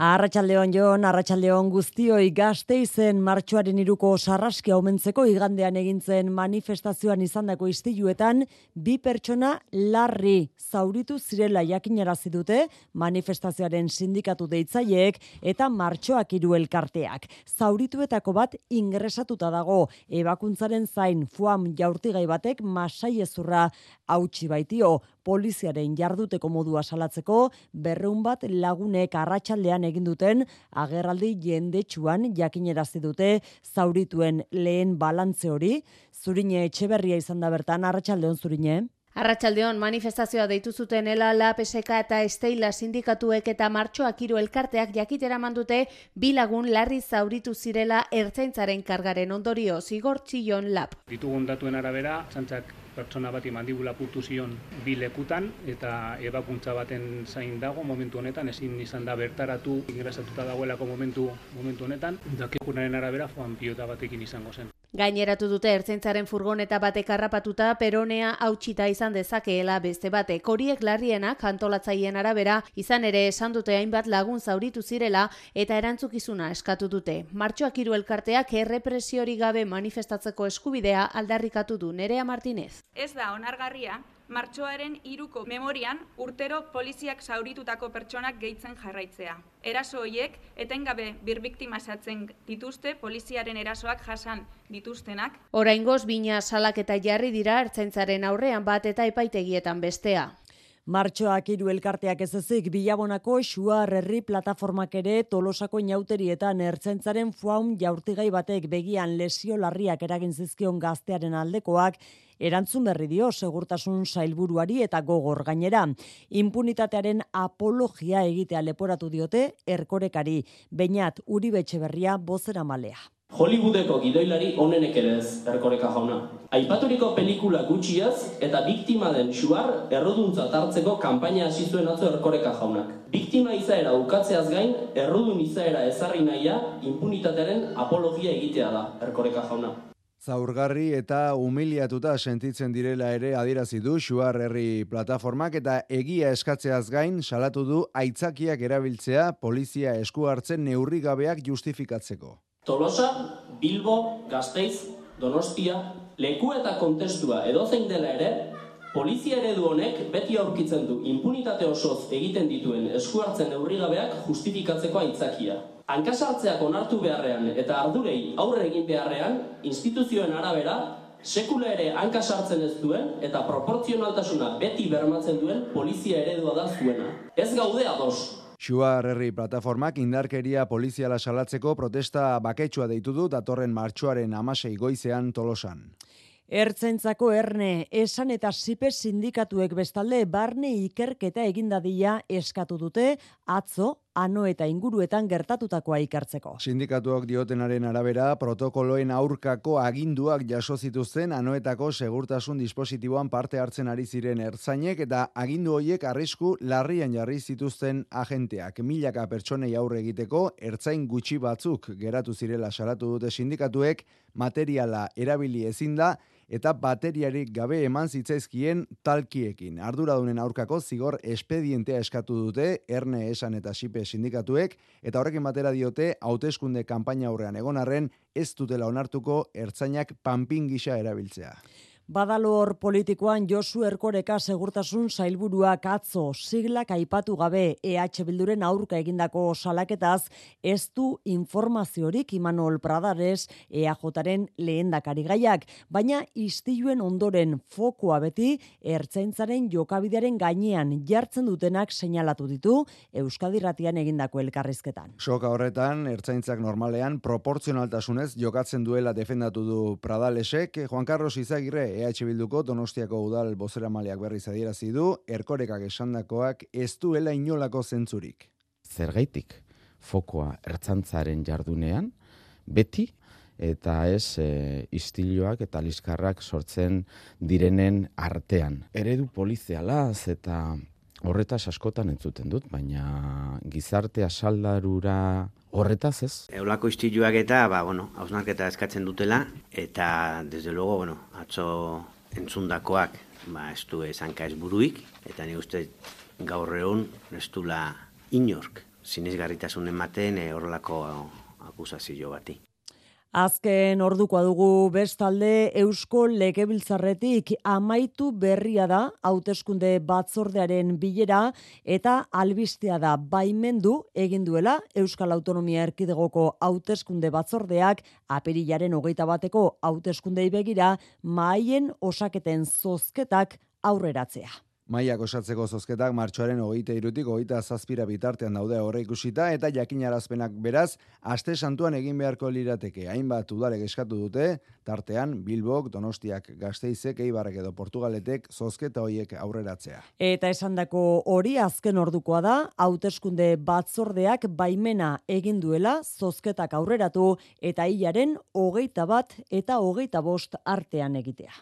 Arratsaldeon Jon, arratsaldeon guztioi. Gasteizen martxoaren 3ko sarraskia omentzeko igandean egintzen manifestazioan izandako istiluetan 2 pertsona larri zauritu zirela jakinarazi dute manifestazioaren sindikatu deitzaileek eta martxoak 3 elkarteak. Zaurituetako bat ingresatuta dago, ebakuntzaren zain fuam jaurtigai batek masaiezurra hautsi baitio. Poliziaren jarduteko modua salatzeko 200 bat lagunek arratsaldean egin duten agerraldi jendetsuan jakinarazi dute zaurituen lehen balantze hori. Zurine Etxeberria izan da bertan. Arratsaldeon Zurine. Arratsaldeon, manifestazioa deitu zuten ELA, LAB, SK eta Esteila sindikatuek eta martxoak 3 elkarteak jakitera mandute 2 lagun larri zauritu zirela ertzaintzaren kargaren ondorio. Zigor Txillon LAB. Ditugun datuen arabera, Ertzaintzak pertsona bati mandibula purtu zion 2 lekutan eta ebakuntza baten zain dago momentu honetan, ezin izan da bertaratu, ingresatuta dagoelako momentu honetan, dakigunaren arabera joan pilota batekin izango zen. Gaineratu dute ertzaintzaren furgoneta batek harrapatuta peronea hautsita izan dezakeela beste batek. Horiek larrienak antolatzaileen arabera izan ere esan dute hainbat lagun zauritu zirela eta erantzukizuna eskatu dute. Martxoak 3 elkarteak errepresiorik gabe manifestatzeko eskubidea aldarrikatu du. Nerea Martinez. Ez da onargarria martxoaren 3ko memorian urtero poliziak zauritutako pertsonak gehitzen jarraitzea. Eraso horiek etengabe birbiktimazatzen dituzte poliziaren erasoak jasan dituztenak. Oraingoz bina salaketa jarri dira ertzaintzaren aurrean bat eta epaitegietan bestea. Martxoak 3 elkarteak ez ezik, Bilabonako Xuar Herri plataformak ere Tolosako inauterietan ertzaintzaren fuam jaurtigai batek begian lesio larriak eragin zizkion gaztearen aldekoak erantzun berri dio segurtasun sailburuari eta gogor gainera. Inpunitatearen apologia egitea leporatu diote Erkorekari. Beñat Uribe Etxeberria bozeramalea. Hollywoodeko gidoilari onenek ere ez, Erkoreka jauna. Aipaturiko pelikula gutxiaz eta biktima den Xuar erruduntzat hartzeko kanpaina hasi zuen atzo Erkoreka jaunak. Biktima izaera ukatzeaz gain, errudun izaera ezarri nahia inpunitatearen apologia egitea da, Erkoreka jauna. Zaurgarri eta humiliatuta sentitzen direla ere adierazi du Xuar Herri plataformak eta egia eskatzeaz gain salatu du aitzakiak erabiltzea polizia esku hartzen neurri gabeak justifikatzeko. Tolosa, Bilbo, Gasteiz, Donostia, leku eta kontestua edozein dela ere, polizia eredu honek beti aurkitzen du inpunitate osoz egiten dituen esku hartzen neurrigabeak justifikatzeko aitzakia. Hankasartzeak onartu beharrean eta ardurei aurre egin beharrean, instituzioen arabera, sekula ere hankasartzen ez duen eta proportzionaltasuna beti bermatzen duen polizia eredua da zuena. Ez gaude ados. Xuar Herri plataformak indarkeria poliziala salatzeko protesta baketsua deitu du datorren martxoaren 16 goizean Tolosan. Ertzaintzako Erne, Esan eta Sipe sindikatuek bestalde barne ikerketa egin dadila eskatu dute atzo Ano eta inguruetan gertatutakoa ikertzeko. Sindikatuak diotenaren arabera, protokoloen aurkako aginduak jaso zituzten Anoetako segurtasun dispositiboan parte hartzen ari ziren ertzainek eta agindu horiek arrisku larrian jarri zituzten agenteak. Milaka pertsonei aurre egiteko ertzain gutxi batzuk geratu zirela salatu dute sindikatuek, materiala erabili ezin da eta bateriarik gabe eman zitzaizkien talkiekin. Arduradunen aurkako zigor espedientea eskatu dute Erne, Esan eta Sipe sindikatuek eta horrekin batera diote hauteskunde kanpaina aurrean egon arren ez dutela onartuko ertzainak panpin gisa erabiltzea. Badalor politikoan Josu Erkoreka segurtasun sailburuak atzo siglak aipatu gabe EH Bilduren aurka egindako salaketaz ez du informaziorik Imanol Pradares EAJaren lehendakari gaiak, baina istiluen ondoren fokoa beti ertzaintzaren jokabidearen gainean jartzen dutenak seinalatu ditu Euskadi Irratian egindako elkarrizketan. Soka horretan ertzaintzak normalean proportzionaltasunez jokatzen duela defendatu du Pradalesek. Juan Carlos Izagirre EH Bilduko Donostiako udal bozeramaleak berriz adierazi du, Erkorekak esandakoak ez duela inolako zentzurik. Zergaitik fokoa ertzaintzaren jardunean, beti, eta ez istiluak eta liskarrak sortzen direnen artean. Eredu polizialaz eta horretaz askotan entzuten dut, baina gizartea saldarura horretaz ez. Eolako istiluak eta, hausnarketa eskatzen dutela, eta, desde luego, atzo entzundakoak, ez du esanka ez buruik, eta ni uste gaur egun ez dula inork sinesgarritasun ematen horrelako akusazio bati. Azken ordukoa dugu bestalde Eusko Legebiltzarretik amaitu berria da hauteskunde batzordearen bilera eta albistea da baimendu egin duela Euskal Autonomia Erkidegoko hauteskunde batzordeak apirilaren 21 hauteskundei begira mahaien osaketen zozketak aurreratzea. Mahaiak osatzeko zozketak martxoaren 23-tik 27 bitartean daude aurreikusita eta jakinarazpenak beraz aste santuan egin beharko lirateke. Hainbat udalek eskatu dute, tartean Bilbok, Donostiak, Gasteizek, Eibarrek edo Portugaletek zozketa hoiek aurreratzea. Eta esandako hori azken ordukoa da, hauteskunde batzordeak baimena egin duela zozketak aurreratu eta hilaren 21 eta 25 artean egitea.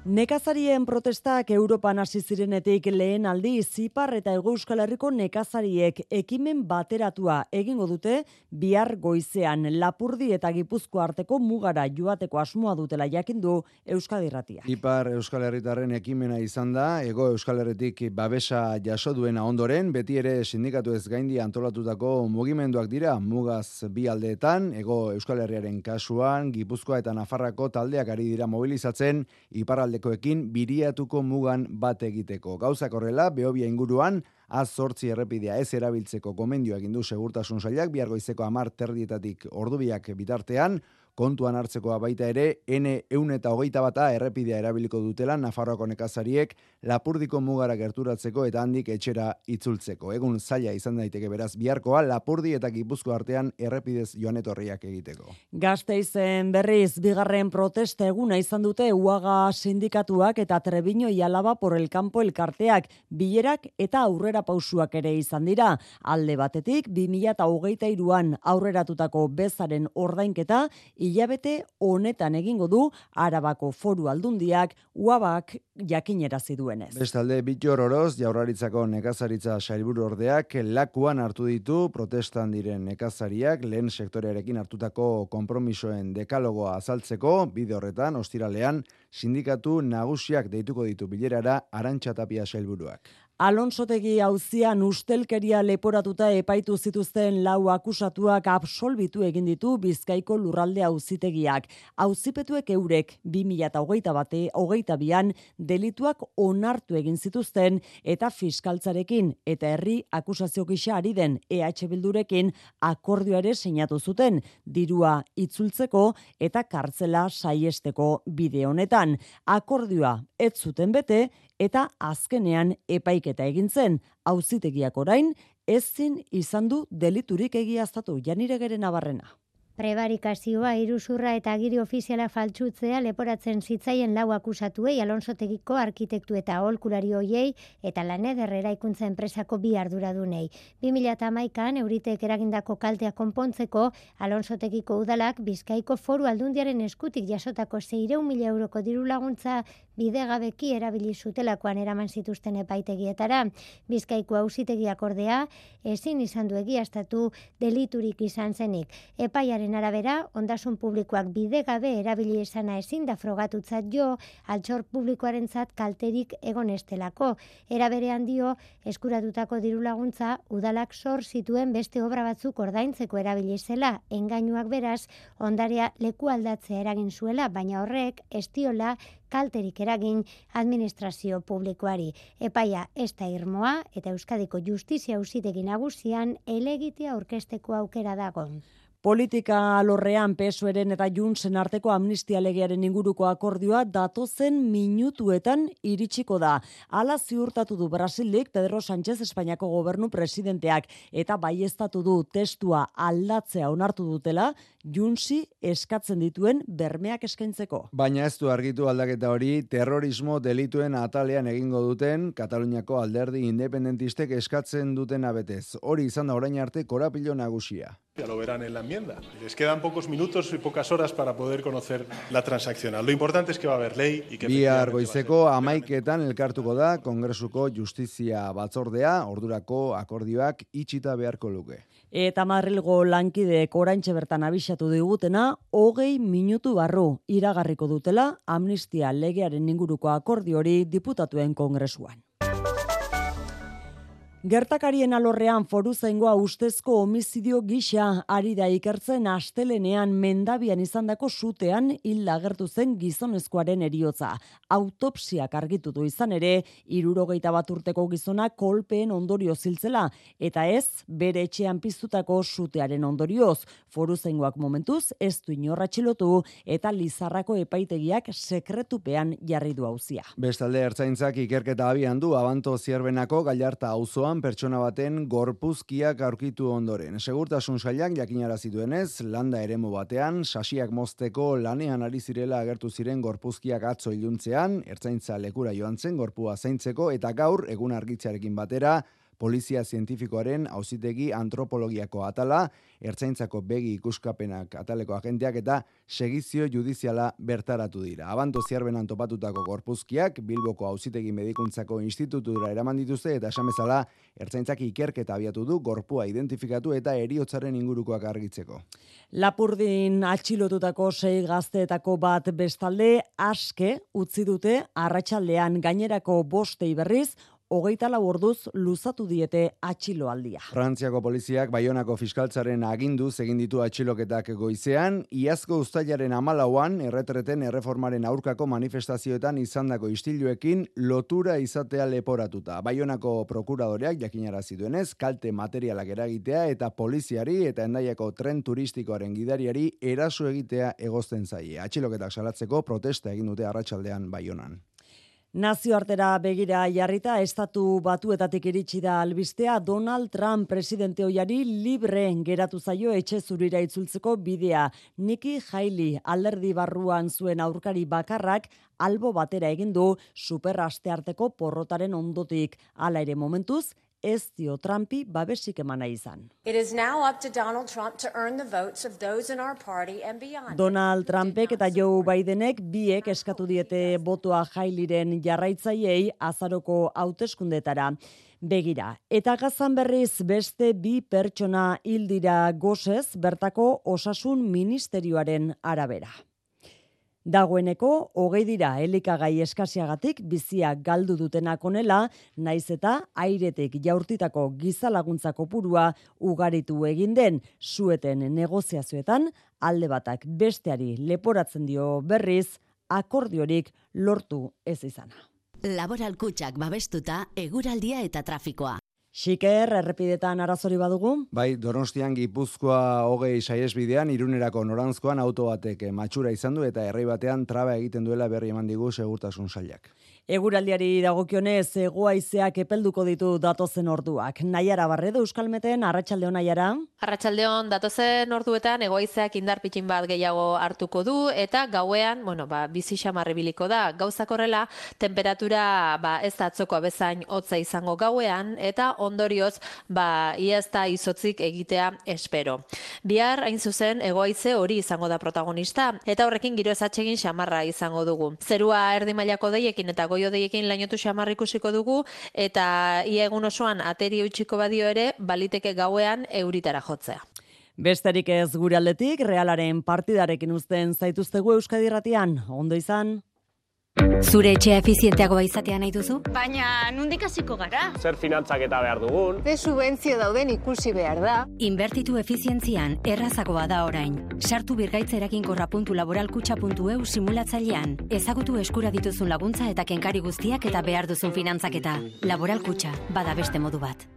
Nekazarien protestak Europan hasi zirenetik lehen aldiz Ipar eta Hego Euskal Herriko nekazariek ekimen bateratua egingo dute bihar goizean Lapurdi eta Gipuzkoa arteko mugara joateko asmoa dutela jakindu Euskadi Irratiak. Ipar Euskal Herritarren ekimena izan da, Hego Euskal Herritik babesa jaso duena ondoren, beti ere sindikatu ez gaindi antolatutako mugimenduak dira, mugaz bi aldeetan, Hego Euskal Herriaren kasuan, Gipuzkoa eta Nafarrako taldeak ari dira mobilizatzen, iparraldekoekin biriatuko mugan bat egiteko. Gauzak horrela, Behobia inguruan, Az-8 errepidea ez erabiltzeko gomendioa egin du Segurtasun Sailak, bihar goizeko 10:30 ordubiak bitartean, kontuan hartzekoa baita ere, N121 errepidea erabiliko dutela Nafarroako nekazariek Lapurdiko mugara gerturatzeko eta handik etxera itzultzeko. Egun zaila izan daiteke beraz biharkoa Lapurdi eta Gipuzkoa artean errepidez joan etorriak egiteko. Gasteizen berriz bigarren protesta eguna izan dute UAGA sindikatuak eta Trebiño y Álava por el Campo elkarteak, bilerak eta aurrera pausuak ere izan dira. Alde batetik 2023an aurreratutako bezaren ordainketa hilabete honetan egingo du Arabako Foru Aldundiak UABak jakinerazi duenez. Bestalde, Bittor Oroz, Jaurlaritzako nekazaritza sailburu ordeak lakuan hartu ditu protestan diren nekazariak lehen sektorearekin hartutako konpromisoen dekalogoa azaltzeko, bide horretan, ostiralean, sindikatu nagusiak deituko ditu bilerara Arantxa Tapia sailburuak. Alonsotegi auzian ustelkeria leporatuta epaitu zituzten 4 akusatuak absolbitu egin ditu Bizkaiko lurralde auzitegiak. Auzipetuek eurek 2022an delituak onartu egin zituzten eta fiskaltzarekin eta herri akusazio gisa ari den EH Bildurekin akordioa ere sinatu zuten, dirua itzultzeko eta kartzela saiesteko bide honetan. Akordioa ez zuten bete eta azkenean epaiketa egin zen, auzitegiak orain ezin izan du deliturik egiaztatu. Janiregeren Nabarrena. Prebarikazioa, iruzurra eta agiri ofiziala faltsutzea leporatzen zitzaien 4 akusatuei Alonsotegiko arkitektu eta aholkulari hoiei eta Laneder eraikuntza enpresako 2 arduradunei. 2011an Euritek eragindako kaltea konpontzeko Alonsotegiko udalak Bizkaiko Foru Aldundiaren eskutik jasotako 600.000 euroko diru laguntza bidegabeki erabili zutelakoan eraman zituzten epaitegietara. Bizkaiko auzitegiak ordea ezin izan du egiaztatu deliturik izan zenik. Epaiaren arabera, ondasun publikoak bidegabe erabili izana ezin da frogatutzat jo, altxor publikoarentzat kalterik egon estelako. Era berean dio, eskuratutako diru laguntza udalak sor zituen beste obra batzuk ordaintzeko erabili zela, engainuak beraz, ondarea leku aldatzea eragin zuela, baina horrek ez diola kalterik eragin administrazio publikoari. Epaia ez da irmoa eta Euskadiko Justizia Auzitegi Nagusian helegitea aurkezteko aukera dago. Politika alorrean PSOEren eta Juntsen arteko amnistia legearen inguruko akordioa datozen minutuetan iritsiko da. Hala ziurtatu du Brasilik Pedro Sánchez Espainiako gobernu presidenteak eta baieztatu du testua aldatzea onartu dutela Juntsi eskatzen dituen bermeak eskaintzeko. Baina ez du argitu aldaketa hori terrorismo delituen atalean egingo duten Kataluniako alderdi independentistek eskatzen duten abetez. Hori izan da orain arte korapilo nagusia. Ya lo verán en la enmienda. Les quedan pocos minutos y pocas horas para poder conocer la transaccional. Lo importante es que va a haber ley y que bihar goizeko 11etan elkartuko da Kongresuko Justizia Batzordea, ordurako akordioak itxita beharko luke. Eta Madrilgo lankideek oraintxe bertan abisatu digutena 20 minutu barru iragarriko dutela amnistia legearen inguruko akordio hori diputatuen kongresuan. Gertakarien alorrean Foruzaingoa ustezko homizidio gisa ari da ikertzen astelenean Mendabian izandako sutean hil agertu zen gizonezkoaren heriotza. Autopsiak argitu du izan ere, 61 urteko gizona kolpeen ondorio ziltzela, eta ez bere etxean piztutako sutearen ondorioz. Foruzaingoak momentuz ez du inor atxilotu eta Lizarrako epaitegiak sekretupean jarri du auzia. Bestalde ertzaintzak ikerketa abian du Abanto Zierbenako Gallarta auzoan pertsona baten gorpuzkiak aurkitu ondoren. Segurtasun sailak jakinarazi duenez, landa eremu batean sasiak mozteko lanean ari zirela agertu ziren gorpuzkiak atzo iluntzean, ertzaintza lekura joan zen gorpua zaintzeko eta gaur egun argitzearekin batera Polizia Zientifikoaren auzitegi antropologiako atala, ertzaintzako begi ikuskapenak ataleko agenteak eta segizio judiziala bertaratu dira. Abanto Zierbenan topatutako gorpuzkiak Bilboko Auzitegi Medikuntzako Institutura eraman dituzte eta esan bezala ertzaintzak ikerketa abiatu du gorpua identifikatu eta heriotzaren ingurukoak argitzeko. Lapurdin atxilotutako 6 gazteetako bat bestalde aske utzi dute arratsaldean, gainerako 5 berriz 24 orduz luzatu diete atxiloaldia. Frantziako poliziak Baionako fiskaltzaren aginduz egin ditu atxiloketak goizean, iazko uztailaren 14an erretreten erreformaren aurkako manifestazioetan izandako istiluekin lotura izatea leporatuta. Baionako prokuradoreak jakinarazi duenez, kalte materialak eragitea eta poliziari eta Hendaiako tren turistikoaren gidariari eraso egitea egozten zaie. Atxiloketak salatzeko protesta egin dute arratsaldean Baionan. Nazioartera begira jarrita, Estatu Batuetatik iritsi da albistea Donald Trump presidente ohiari libre geratu zaio etxe zurira itzultzeko bidea. Nikki Haley alderdi barruan zuen aurkari bakarrak albo batera egin du superastearteko porrotaren ondotik. Hala ere momentuz, ez dio Trumpi babesik emana izan. Donald Trumpek eta Joe Bidenek biek eskatu diete botoa Haleyren jarraitzaileei azaroko hauteskundetara begira. Eta Gazan berriz beste 2 pertsona hil dira gosez bertako osasun ministerioaren arabera. Dagoeneko 20 dira elikagai eskasiagatik bizia galdu dutenak onela, naiz eta airetik jaurtitako gizalaguntza kopurua ugaritu egin den, sueten negoziazioetan alde batak besteari leporatzen dio berriz akordiorik lortu ez izana. Laboral Kutxak babestuta eguraldia eta trafikoa. Xiker, errepidetan arazori badugu? Bai, Donostian Gipuzkoa 20 saihesbidean Irunerako noranzkoan auto batek matxura izan du eta errei batean traba egiten duela berri eman digu segurtasun sailak. Eguraldiari dagokionez, hego-haizeak epelduko ditu datozen orduak. Naiara Barredo Euskalmeten, arratsalde on Naiara. Arratsaldeon, datozen orduetan hego-haizeak indar pitxin bat gehiago hartuko du eta gauean, bizi xamar ibiliko da. Gauzak horrela, temperatura ez da atzokoa bezain hotza izango gauean eta ondorioz iaz da izotzik egitea espero. Bihar hain zuzen hego-haize hori izango da protagonista eta horrekin giro ezatsegin xamarra izango dugu. Zerua erdi mailako deiekin eta goio-deiekin lainotu xamar ikusiko dugu eta ia egun osoan ateri eutxiko badio ere baliteke gauean euritara jotzea. Besterik ez gure aldetik, Realaren partidarekin uzten zaituztegu Euskadi Irratian. Ondo izan. Zure etxea efizienteagoa izatea nahi duzu? Baina nondik hasiko gara? Zer finantzaketa behar dugun? Ze subentzio dauden ikusi behar da? Inbertitu efizientzian errazagoa da orain. Sartu birgaitza-laboralkutxa.eu simulatzailean. Ezagutu eskura dituzun laguntza eta kenkari guztiak eta behar duzun finantzaketa. Laboral Kutxa, bada beste modu bat.